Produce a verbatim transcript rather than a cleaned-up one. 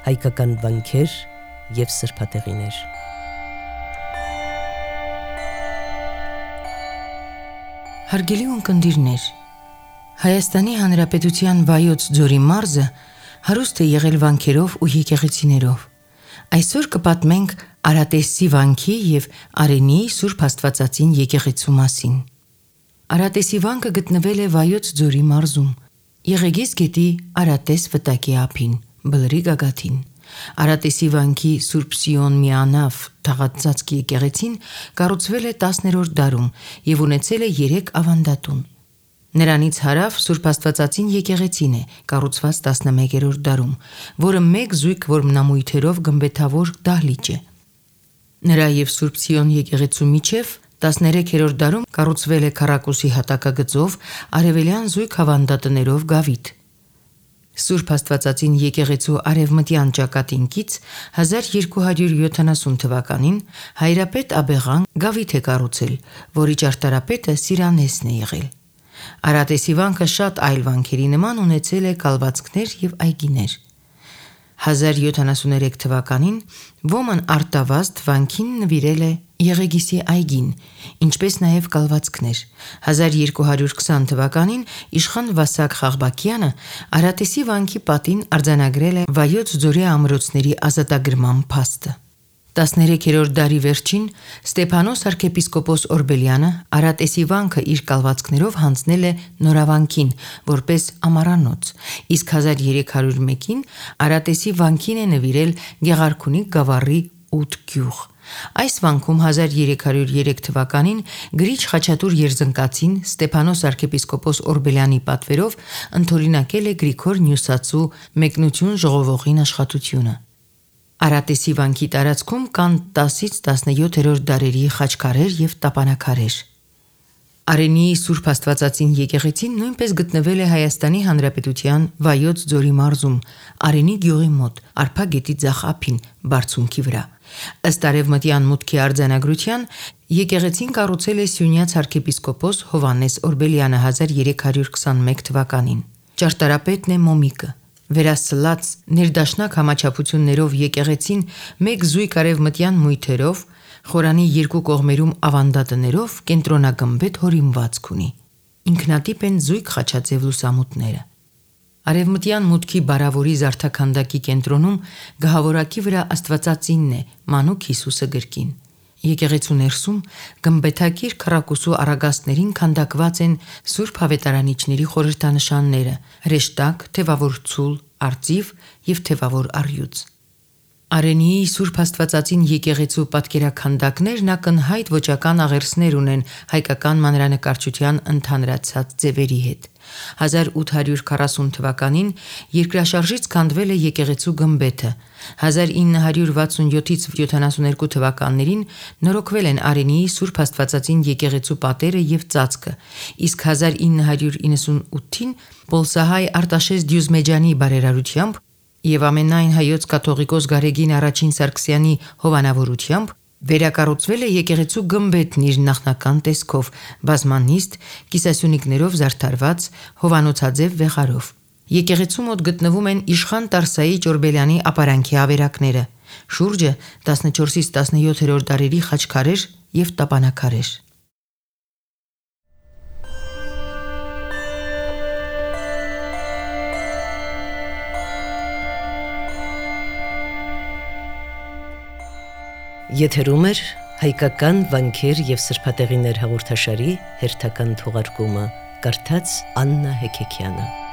հայկական վանքեր և սրբատեղիներ։ Հարգելի ունկնդիրներ, Հայաստանի Հանրապետության Վայոց ձորի մարզը հարուստ է եղել վանքերով ու եկեղեցիներով։ Այսօր կպատմենք Արատեսի վանքի և Արենիի Սուրբ Աստվածածին եկեղեցու մասին։ Արատեսի վանքը գտնվել է Վայոց ձորի մարզում, Եղեգիս գետի Արատես վտակի ափին, Բլրի գագաթին։ Արատեսի վանքի Սուրբ Սիոն միանավ թաղածածկ եկեղեցին կառուցվել է տասներորդ դարում և ունեցել է երեք ավանդատուն։ Նրանից հարավ Սուրբ Աստվածածին եկեղեցին է, կառուցված տասնմեկերորդ դարում, որը մեկ զույգ որմնամույթերով գմբեթավոր դահլիճ է։ Նրա և Սուրբ Սիոն եկեղեցու միջև տասներեքերորդ դարում կառուցվել է քառակուսի հատակագծով արևելյան զույգ ավանդատներով գավիթ։ Սուրբ Աստվածածին եկեղեցու արևմտյան ճակատին կից հազար երկու հարյուր յոթանասուն թվականին Հայրապետ Աբեղան գավիթ է կառուցել, որի ճարտարապետը Սիրանեսն է եղել։ Արատեսի վանքը շատ այլ վանքերի նման ունեցել է կալվածքներ և այգիներ։ հազար յոթանասուներեք թվականին ոման արտավազդ վանքին նվիրել է Եղեգիսի այգին, ինչպես նաև կալվածքներ։ հազար երկու հարյուր քսան թվականին իշխան Վասակ Խաղբակյանը Արատեսի վանքի պատին արձանագրել է Վայոց ձորի ամրոցների ազատագրման փաստը։ տասներեքերորդ դարի վերջին Ստեփանոս arczepiskopos Օրբելյանը Արատեսի վանքը իր կալվածքներով հանձնել է Նորավանքին որպես ամառանոց, իսկ հազար երեք հարյուր մեկին Արատեսի վանքին է նվիրել Գեղարքունիք գավառի ութ գյուղ։ Այս վանքում հազար երեք հարյուր երեք թվականին գրիչ Խաչատուր Երզնկացին Ստեփանոս arczepiskopos Օրբելյանի պատվերով ընդօրինակել է Գրիգոր Նյուսացու մեկնություն ժողովողին աշխատությունը։ Արատեսի վանքի տարածքում կան տասից տասնյոթերորդ դարերի խաչքարեր և տապանաքարեր։ Արենիի Սուրբ Աստվածածին եկեղեցին նույնպես գտնվել է Հայաստանի Հանրապետության Վայոց ձորի մարզում, Արենի գյուղի մոտ, Արփա գետի ձախ ափին, բարձունքի վրա։ Ըստ արևմտյան մուտքի արձանագրության եկեղեցին կառուցել է Սյունյաց arczepiskopos Հովհաննես Օրբելյանը հազար երեք հարյուր քսանմեկ թվականին։ Ճարտարապետն է Մոմիկը։ Վերասլած ներդաշնակ համաչափություններով եկեղեցին մեկ զույգ արևմտյան մույթերով, խորանի երկու կողմերում ավանդատներով կենտրոնագմբեթ հորինվածք ունի։ Ինքնատիպ են զույգ խաչաձև լուսամուտները։ Արևմտյան մուտքի բարավորի զարդաքանդակի կենտրոնում գահավորակի վրա Աստվածածինն է, մանուկ Հիսուսը գրկին։ Եկեղեցու ներսում գմբեթակիր քառակուսու առագաստներին քանդակված են Սուրբ Ավետարանիչների խորհրդանշանները՝ հրեշտակ, թևավոր ցուլ, արծիվ և թևավոր առյուծ։ Արենիի Սուրբ Աստվածածին եկեղեցու պատկերաքանդակներն ակնհայտ ոճական աղերսներ ունեն հայկական մանրանկարչության ընդհանրացած ձևերի հետ։ հազար ութ հարյուր քառասուն թվականին երկրաշարժից քանդվել է եկեղեցու գմբեթը։ հազար ինը հարյուր վաթսունյոթից յոթանասուներկու թվականներին նորոգվել են Արենիի Սուրբ Աստվածածին եկեղեցու պատերը և ծածկը, իսկ հազար ինը հարյուր իննսունութին պոլսահայ Արտաշես Դյուզմեջյանի բարերարությամբ և ամենայն հայոց կաթողիկոս Գարեգին Առաջին Սարգսյանի հովանավորությամբ վերակառուցվել է եկեղեցու գմբեթն իր նախնական տեսքով, բազմանիստ, կիսասյունիկներով զարդարված հովանոցաձև վեղարով։ Եկեղեցու մոտ գտնվում են իշխան Տարսայի Ճորբելյանի ապարանքի ավերակները, շուրջը տասնչորսից տասնյոթերորդ դարերի խաչքարեր և տապանաքարեր։ Եթերում է հայկական վանքեր և սրբատեղիներ հաղորդաշարի հերթական թողարկումը, կարդաց Աննա Հեքեքյանը։